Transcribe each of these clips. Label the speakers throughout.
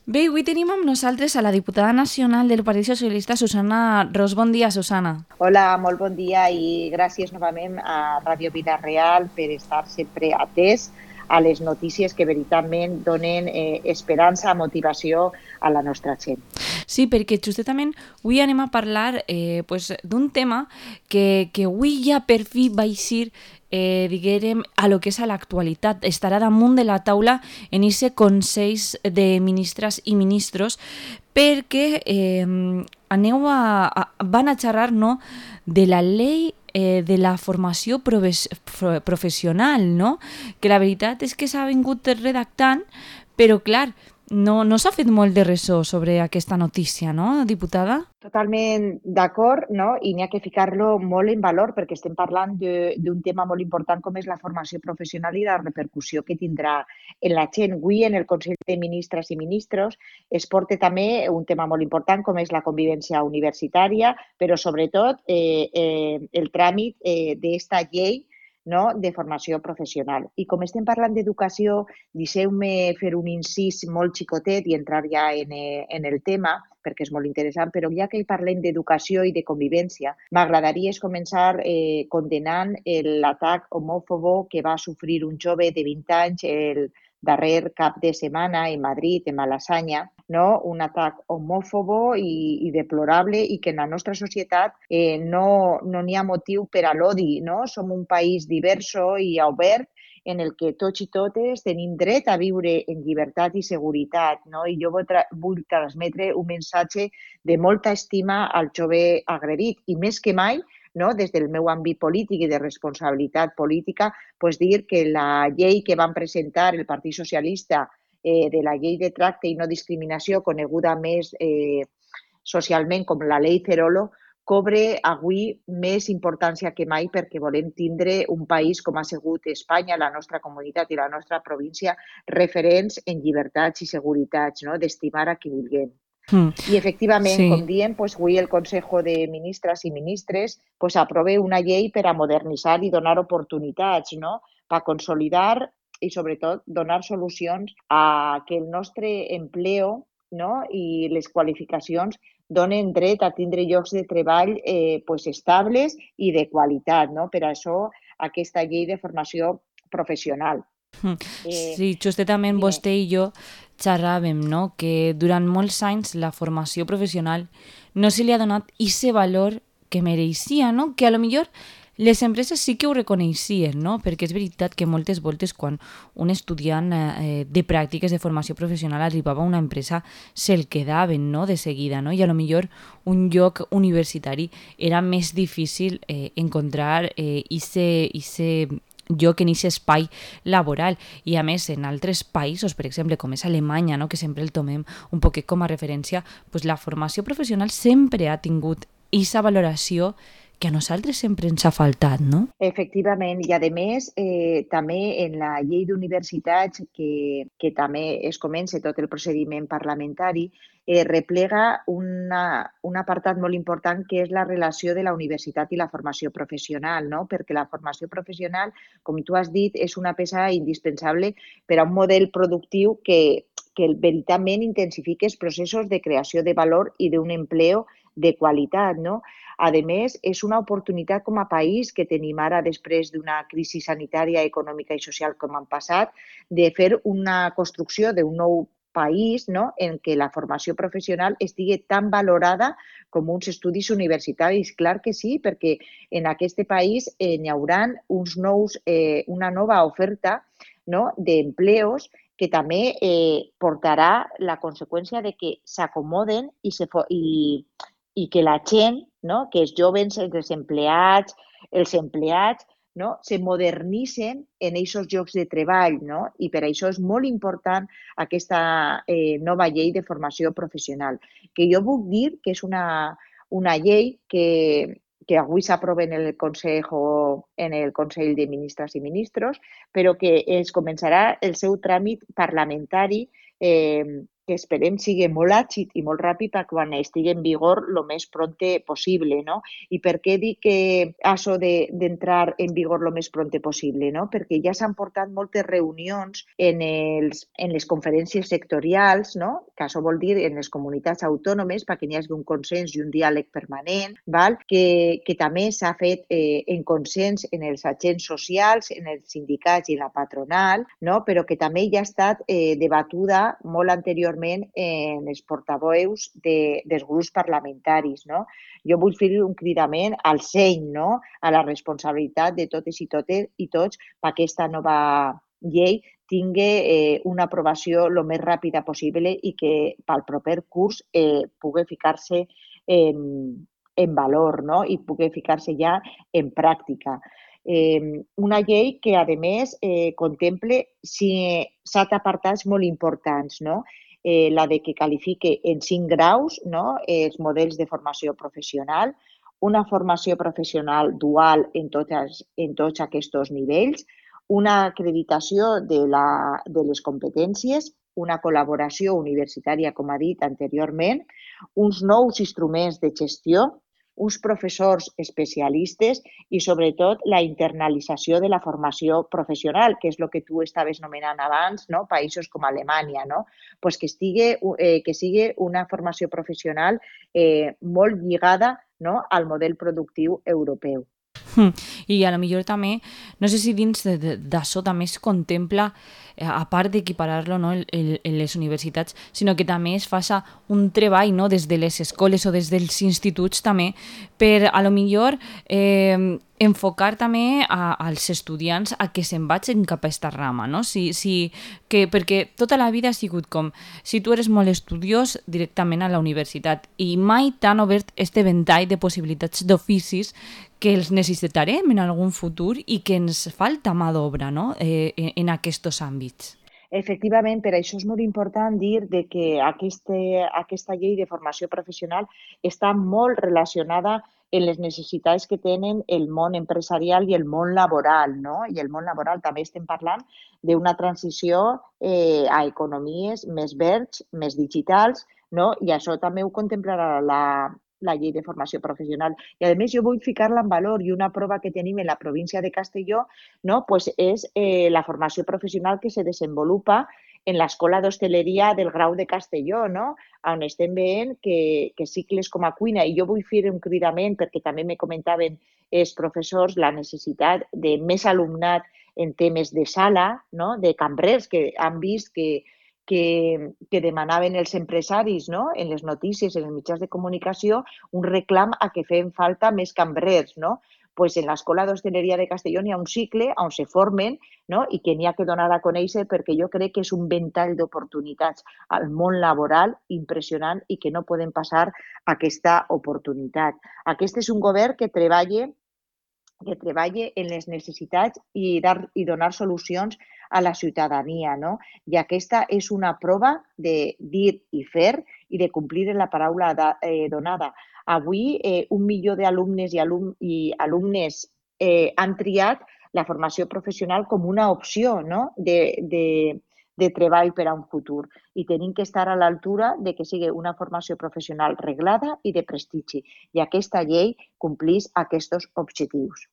Speaker 1: Bé, avui tenim amb nosaltres a la diputada nacional del Partit Socialista, Susana Ros. Bon dia, Susana.
Speaker 2: Hola, molt bon dia i gràcies novament a Ràdio Vila-real per estar sempre atès a les notícies que veritablement donen esperança, motivació a la nostra gent.
Speaker 1: Sí, perquè justament avui anem a parlar d'un tema que avui ja per fi va eixir diguérem, a lo que és a l'actualitat. Estarà damunt de la taula en aquest Consell de Ministres i Ministros perquè van a xerrar no, de la llei de la formació professional, no? Que la veritat és que s'ha vingut redactant, però clar, no s'ha fet molt de ressò sobre aquesta notícia, no, diputada?
Speaker 2: Totalment d'acord, no? I n'hi ha que ficar-lo molt en valor perquè estem parlant d'un tema molt important com és la formació professional i la repercussió que tindrà en la gent. Avui en el Consell de Ministres i Ministros es porta també un tema molt important com és la convivència universitària, però sobretot el tràmit d'esta llei, no? De formació professional. I com estem parlant d'educació, deixeu-me fer un incís molt xicotet i entrar ja en el tema, perquè és molt interessant, però ja que parlem d'educació i de convivència, m'agradaria començar condenant l'atac homòfobo que va sofrir un jove de 20 anys el darrer cap de setmana en Madrid, en Malassanya, no? Un atac homòfobo i deplorable i que en la nostra societat no n'hi ha motiu per a l'odi, no? Som un país diverso i obert en el que tots i totes tenim dret a viure en llibertat i seguretat, no? I jo vull transmetre un missatge de molta estima al jove agredit i més que mai, no? Des del meu àmbit polític i de responsabilitat política, pues dir que la llei que van presentar el Partit Socialista de la llei de tracte i no discriminació, coneguda més socialment com la llei Cerolo, cobre avui més importància que mai perquè volem tindre un país com ha sigut Espanya, la nostra comunitat i la nostra província, referents en llibertats i seguretats, no? D'estimar a qui vulguem.
Speaker 1: Mm,
Speaker 2: I efectivament, com
Speaker 1: sí.
Speaker 2: diem, pues, avui el Consejo de Ministres i Ministres pues, aprova una llei per a modernitzar i donar oportunitats, no? Per consolidar i sobretot donar solucions a que el nostre empleo, no? I les qualificacions donen dret a tindre llocs de treball pues, estables i de qualitat. No? Per això aquesta llei de formació professional.
Speaker 1: Sí, justament
Speaker 2: Dime.
Speaker 1: vostè i jo xerràvem, no?, que durant molts anys la formació professional no se li ha donat aquest valor que mereixia, no? Que a lo millor les empreses sí que ho reconeixien, no? Perquè és veritat que moltes voltes quan un estudiant de pràctiques de formació professional arribava a una empresa se'l quedaven, no?, de seguida, no? I a lo millor un lloc universitari era més difícil encontrar ese lloc en aquest espai laboral. I a més en altres països, per exemple com és Alemanya, no? Que sempre el tomem un poquet com a referència, pues la formació professional sempre ha tingut aquesta valoració que a nosaltres sempre ens ha faltat, no?
Speaker 2: Efectivament, i a més, també en la llei d'universitats, que també es comença tot el procediment parlamentari, replega un apartat molt important que és la relació de la universitat i la formació professional, no? Perquè la formació professional, com tu has dit, és una peça indispensable per a un model productiu que veritablement intensifique els processos de creació de valor i d'un empleo de qualitat, no? A més, és una oportunitat com a país que tenim ara després d'una crisi sanitària, econòmica i social com han passat, de fer una construcció d'un nou país, no? En què la formació professional estigui tan valorada com uns estudis universitaris. Clar que sí, perquè en aquest país n'hi haurà una nova oferta, no? D'empleos que també portarà la conseqüència de que s'acomoden i que la gent, no? Que els joves, els empleats, no? Se modernitzen en aquests llocs de treball, no? I per això és molt important aquesta nova llei de formació professional, que jo puc dir que és una llei que avui s'aprova en el Consell de Ministres i Ministros, però que es començarà el seu tràmit parlamentari que esperem sigui molt àgil i molt ràpid per quan estigui en vigor el més pronte possible, no? I per què dic que això d'entrar en vigor el més pronte possible, no? Perquè ja s'han portat moltes reunions en les conferències sectorials, no? Que això vol dir en les comunitats autònomes perquè hi hagi un consens i un diàleg permanent, val? Que també s'ha fet en consens en els agents socials, en els sindicats i la patronal, no? Però que també ja ha estat debatuda molt anteriorment en els portaveus dels grups parlamentaris, no? Jo vull fer un cridament al seny, no? A la responsabilitat de totes i tots perquè aquesta nova llei tingui una aprovació el més ràpida possible i que pel proper curs pugui ficar-se en valor, no? I pugui ficar-se ja en pràctica. Una llei que, a més, contemple 7 apartats molt importants, no? La de que qualifique en 5 graus, no? Els models de formació professional, una formació professional dual en tots aquests nivells, una acreditació de les competències, una col·laboració universitària, com ha dit anteriorment, uns nous instruments de gestió, uns professors especialistes i, sobretot, la internalització de la formació professional, que és el que tu estaves nomenant abans, no? Països com Alemanya, no? Pues que sigui una formació professional molt lligada, no? Al model productiu europeu.
Speaker 1: I a lo millor també, no sé si dins d'això també es contempla, a part d'equiparar-lo, no, en les universitats, sinó que també es faça un treball, no, des de les escoles o des dels instituts també, per a lo millor enfocar també als estudiants a que se'n vagin cap a aquesta rama, no? Perquè tota la vida ha sigut com, si tu eres molt estudiós, directament a la universitat, i mai t'han obert este ventall de possibilitats d'oficis que els necessitarem en algun futur i que ens falta mà d'obra, no? En aquests àmbits.
Speaker 2: Efectivament, per això és molt important dir que aquesta llei de formació professional està molt relacionada en les necessitats que tenen el món empresarial i el món laboral, no? I el món laboral també estem parlant d'una transició a economies més verds, més digitals, no? I això també ho contemplarà la llei de formació professional. I, a més, jo vull ficar-la en valor i una prova que tenim en la província de Castelló, no? Pues és la formació professional que se desenvolupa en l'Escola d'Hostaleria del Grau de Castelló, no? On estem veient que cicles com a cuina, i jo vull fer un cridament perquè també me comentaven els professors la necessitat de més alumnat en temes de sala, no? De cambrers, que han vist que demanaven els empresaris, no? En les notícies, en els mitjans de comunicació, un reclam a que feien falta més cambrers, no? Pues en l'Escola d'Hostaleria de Castelló hi ha un cicle on se formen, no? I que n'hi ha que donar a conèixer perquè jo crec que és un ventall d'oportunitats al món laboral impressionant i que no podem passar aquesta oportunitat. Aquest és un govern que treballa en les necessitats i donar solucions a la ciutadania, no? I aquesta és una prova de dir i fer i de complir la paraula donada. Avui, 1 milió d'alumnes i alumnes han triat la formació professional com una opció, no? de treball per a un futur, i tenim que estar a l'altura de que sigui una formació professional reglada i de prestigi, i aquesta llei complís aquests objectius.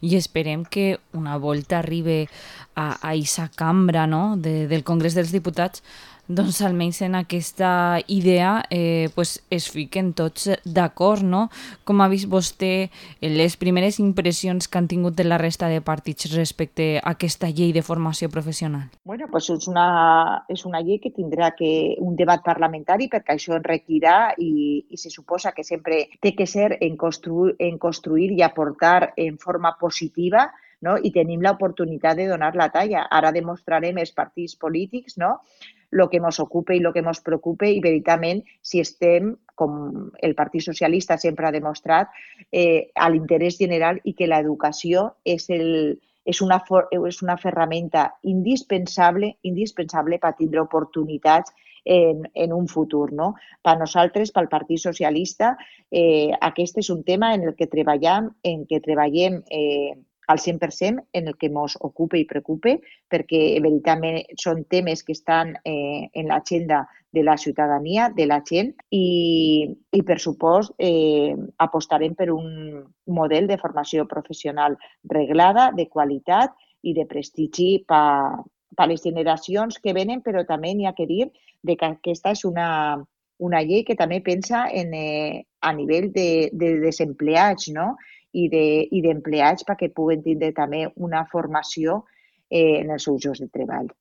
Speaker 1: I esperem que una volta arribi a aquesta cambra, no? del Congrés dels Diputats, doncs almenys en aquesta idea es fiquen tots d'acord, no? Com ha vist vostè les primeres impressions que han tingut de la resta de partits respecte a aquesta llei de formació professional?
Speaker 2: Bueno, pues és una llei que tindrà un debat parlamentari perquè això en requerirà i se suposa que sempre té que ser en construir i aportar en forma positiva, no? I tenim l'oportunitat de donar la talla. Ara demostrarem els partits polítics, no? El que ens ocupa i el que ens preocupa i, veritablement, si estem, com el Partit Socialista sempre ha demostrat, a l'interès general i que l'educació és una ferramenta indispensable per tindre oportunitats en un futur, no? Per nosaltres, pel Partit Socialista, aquest és un tema en el que treballem al 100% en el que ens ocupa i preocupa, perquè veritablement són temes que estan en l'agenda de la ciutadania, de la gent, i per supost apostarem per un model de formació professional reglada, de qualitat i de prestigi per les generacions que venen, però també n'hi ha que dir que aquesta és una llei que també pensa a nivell de desempleats, no? I d'empleats perquè puguen tindre també una formació en els seus llocs de treball.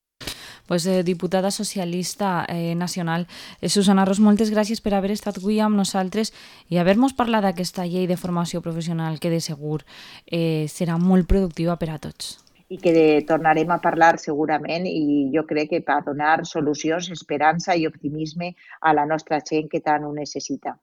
Speaker 1: Pues, diputada socialista nacional, Susana Ros, moltes gràcies per haver estat avui amb nosaltres i haver-nos parlat d'aquesta llei de formació professional que de segur serà molt productiva per a tots.
Speaker 2: I que tornarem a parlar segurament i jo crec que per donar solucions, esperança i optimisme a la nostra gent que tant ho necessita.